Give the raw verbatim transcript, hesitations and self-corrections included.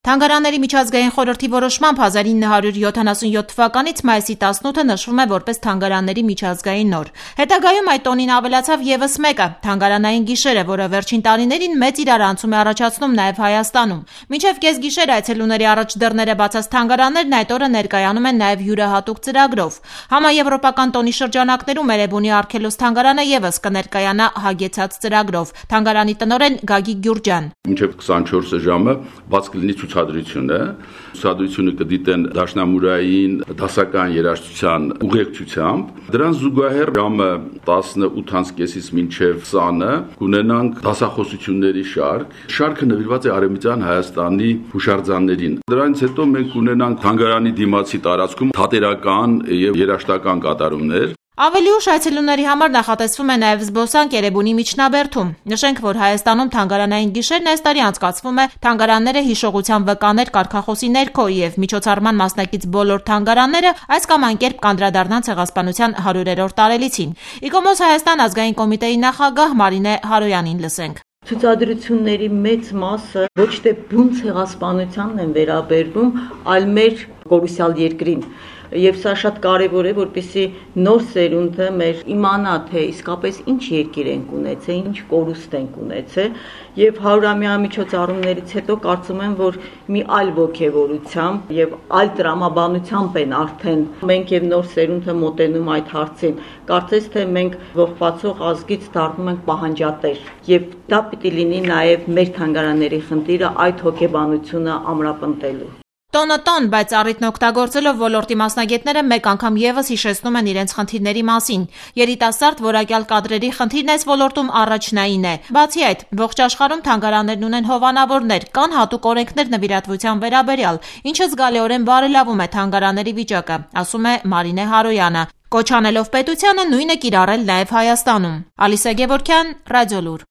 Թանգարանների միջազգային խորհրդի որոշմամբ հազար ինը հարյուր յոթանասունյոթ թվականից մայիսի տասնութը նշվում է որպես Թանգարանների միջազգային օր։ Հետագայում այդ տոնին ավելացավ ևս մեկը՝ Թանգարանային գիշերը, որը վերջին տարիներին մեծ իրարանցում է առաջացնում նաև Հայաստանում։ Մինչև կեսգիշեր այցելուների առաջ դռները բացած թանգարաններն այդ օրը ներկայանում են նաև յուրահատուկ ծրագրով։ Համաեվրոպական տոնի շրջանակներում Էրեբունի Արգելոս թանգարանը ևս կներկայանա հագեցած ծրագրով։ Թանգարանի տնօրեն Գագիկ Գյուրջյան: Մինչև քսանչորս ժամը բաց կլինի ցուցադրությունը։ Ցուցադրությունը կդիտեն դաշնամուրային դասական երաժշտության ուղեկցությամբ։ Դրան զուգահեռ ժամը տասնութ կեսից մինչև քսանը կունենանք դասախոսությունների շարք։ Շարքը նվիրված է Արևմտյան Հայաստանի հուշարձաններին։ Դրանից հետո մենք կունենանք թանգարանի դիմացի տարածքում թատերական եւ երաժշտական կատարումներ։ Ավելի ուշ այցելուների համար նախատեսվում է նաև զբոսանք Էրեբունի միջնաբերդում։ Նշենք, որ Հայաստանում Թանգարանային գիշերն այս տարի անցկացվում է Թանգարանները հիշողության վկաներ կարգախոսի ներքո եւ միջոցառման մասնակից բոլոր թանգարանները այս կամ այն կերպ կանդրադառնան Ցեղասպանության հարյուրերորդ տարելիցին։ Իկոմոս Հայաստան ազգային կոմիտեի նախագահ Մարինե Հարոյանին լսենք: Ցուցադրությունների մեծ մասը ոչ թե բուն ցեղասպանությանն են վերաբերվում, այլ մեր կորուսյալ երկրին։ Եվ սա շատ կարևոր է, որպեսզի նոր սերունդը մեր իմանա, թե իսկապես ինչ երկիր ենք ունեցել, ինչ կորուստ ենք ունեցել, եւ հարյուրամյա միջոցառումներից հետո կարծում եմ, որ մի այլ ոգևորությամբ եւ այլ տրամաբանությամբ են արդեն մենք եւ նոր սերունդը մոտենում այդ հարցին։ Կարծես թե մենք ողբացող ազգից դառնում ենք պահանջատեր, եւ դա պիտի լինի նաեւ մեր թանգարանների խնդիրը այդ հոգեբանությունը ամրապնդելու։ Տոնը տոն, բայց առիթն օգտագործելով ոլորտի մասնագետները մեկ անգամ ևս հիշեցնում են իրենց խնդիրների մասին։ Երիտասարդ որակյալ կադրերի խնդիրն այս ոլորտում առաջնային է։ Բացի այդ, ողջ աշխարհում թանգարաններն ունեն հովանավորներ, կան հատուկ օրենքներ նվիրատվության վերաբերյալ, ինչը զգալիորեն բարելավում է թանգարանների վիճակը, ասում է Մարինե Հարոյանը, կոչ անելով պետությանը նույնը կիրառել նաև Հայաստանում։ Ալիսա Գևորգյան, Ռադիոլուր։